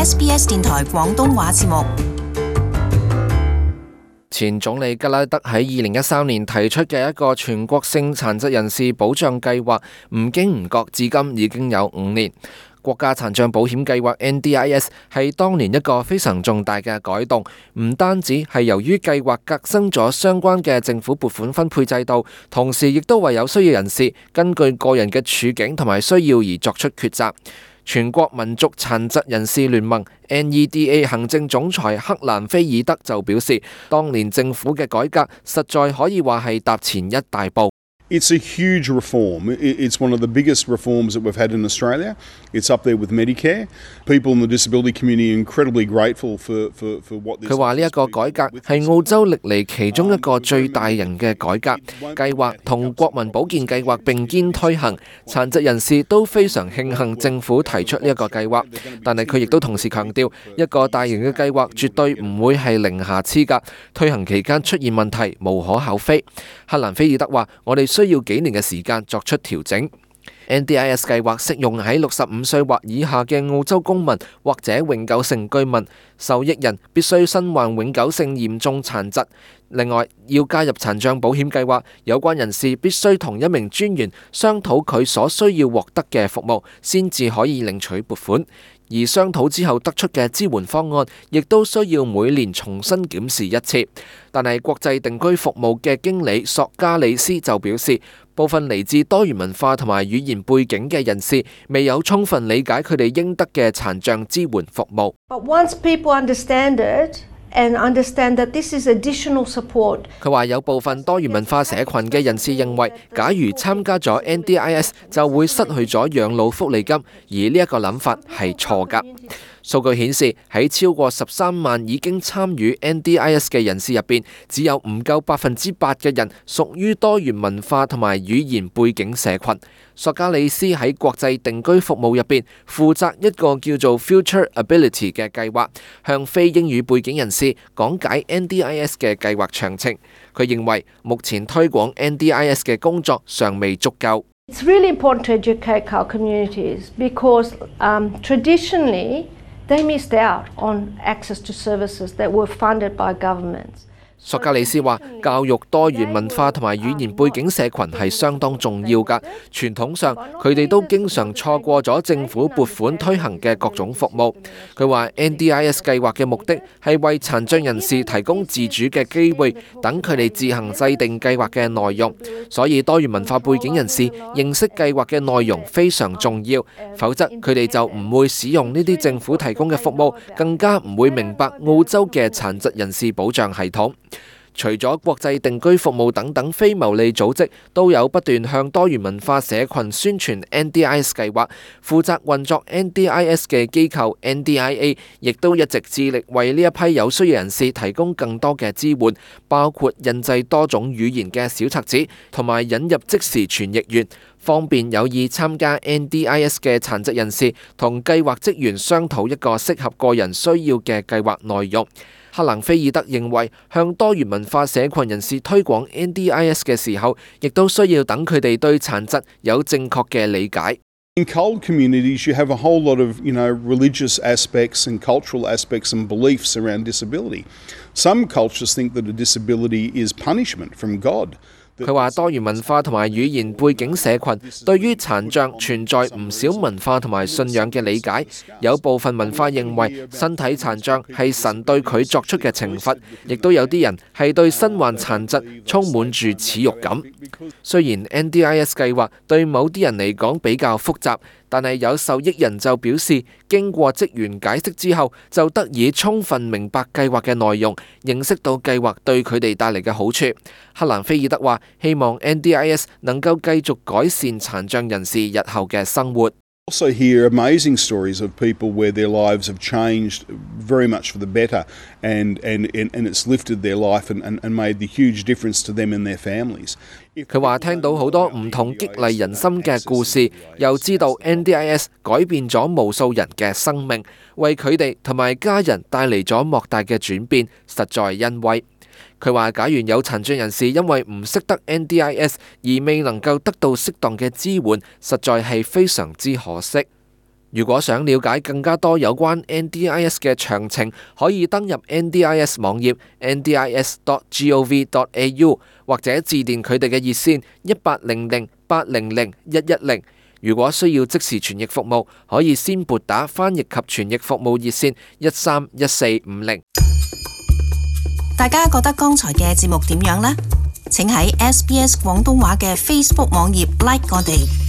SBS 電台廣東話節目。前總理吉拉德喺2013年提出嘅一個全國性殘疾人士保障計劃，唔經唔覺至今已經有5年。國家殘障保險計劃 NDIS 係當年一個非常重大嘅改動，唔單止係由於計劃革新咗相關嘅政府撥款分配制度，同時亦都為有需要人士根據個人嘅處境同埋需要而作出抉擇。全國民族殘疾人士聯盟 NEDA 行政總裁克蘭菲爾德就表示，當年政府嘅改革實在可以話係踏前一大步。It's a huge reform. It's one of the biggest reforms that we've had in Australia. It's up there with Medicare. People in the disability community are incredibly grateful for what this. 佢話呢一個改革係澳洲歷嚟其中一個最大型嘅改革計劃，同國民保健計劃並肩推行。殘疾人士都非常慶幸政府提出呢一個計劃，但係佢亦都同時強調，一個大型嘅計劃絕對唔會係零瑕疵㗎，推行期間出現問題無可厚非。克蘭菲爾德話：我哋需要幾年嘅時間作出調整。NDIS 計劃適用喺65歲或以下嘅澳洲公民或者永久性居民，受益人必須身患永久性嚴重殘疾。另外，要加入殘障保險計劃，有關人士必須同一名專員商討佢所需要獲得嘅服務，先至可以領取撥款。而商討之後得出嘅支援方案，亦都需要每年重新檢視一次。但係國際定居服務嘅經理索加里斯就表示，部分嚟自多元文化同埋語言背景嘅人士未有充分理解佢哋應得嘅殘障支援服務。But once people understand it, and understand that this is additional support. 佢話有部分多元文化社群嘅人士認為，假如參加咗 NDIS 就會失去咗養老福利金，而呢一個諗法係錯㗎。數據顯示，喺超過13萬已經參與 NDIS 嘅人士入邊，只有唔夠8%嘅人屬於多元文化同埋語言背景社群。索加里斯喺國際定居服務入邊負責一個叫做 Future Ability 嘅計劃，向非英語背景人士講解 NDIS 嘅計劃詳情。佢認為目前推廣 NDIS 嘅工作尚未足夠。It's really important to educate our communities because traditionally they missed out on access to services that were funded by governments. 索加里斯話：教育多元文化同埋語言背景社群係相當重要㗎。傳統上，佢哋都經常錯過咗政府撥款推行嘅各種服務。佢話 NDIS 計劃嘅目的係為殘障人士提供自主嘅機會，等佢哋自行制定計劃嘅內容。所以多元文化背景人士認識計劃嘅內容非常重要，否則佢哋就唔會使用呢啲政府提供嘅服務，更加唔會明白澳洲嘅殘疾人士保障系統。除咗國際定居服務等等非牟利組織都有不斷向多元文化社群宣傳 NDIS 計劃，負責運作 NDIS 嘅機構 NDIA 亦都一直致力為呢一批有需要人士提供更多嘅支援，包括印製多種語言嘅小冊子，同埋引入即時傳譯員，方便有意參加 NDIS 嘅殘疾人士同計劃職員商討一個適合個人需要嘅計劃內容。克蘭菲爾德認為，向多元文化社群人士推廣 NDIS 嘅時候，亦都需要等佢哋對殘疾有正確嘅理解。In cold communities, you have a whole lot of, religious aspects and cultural aspects and beliefs around disability. Some cultures think that a disability is punishment from God. 佢話多元文化同埋語言背景社群對於殘障存在唔少文化同埋信仰嘅理解，有部分文化認為身體殘障係神對佢作出嘅懲罰，亦都有啲人係對身患殘疾充滿住恥辱感。雖然 NDIS 計劃對某啲人嚟講比較複雜，但係有受益人就表示，經過職員解釋之後，就得以充分明白計劃嘅內容，認識到計劃對佢哋帶嚟嘅好處。克蘭菲爾德話：希望 NDIS 能夠繼續改善殘障人士日後嘅生活。Also hear amazing stories of people where their lives have changed very much for the better and it's lifted their life and made the huge difference to them and their families. 佢話聽到好多唔同激勵人心嘅故事，又知道 NDIS 改變咗無數人嘅生命，為佢哋同埋家人帶嚟咗莫大嘅轉變，實在欣慰。佢話：假如有殘障人士因為唔識得 NDIS 而未能夠得到適當嘅支援，實在係非常之可惜。如果想了解更加多有關 NDIS 嘅詳情，可以登入 NDIS 網頁 ndis.gov.au 或者致電佢哋嘅熱線1800-800-110。如果需要即時傳譯服務，可以先撥打翻譯及傳譯服務熱線131450。大家覺得剛才嘅節目點樣呢？請喺SBS 廣東話嘅 Facebook 網頁 like 我哋。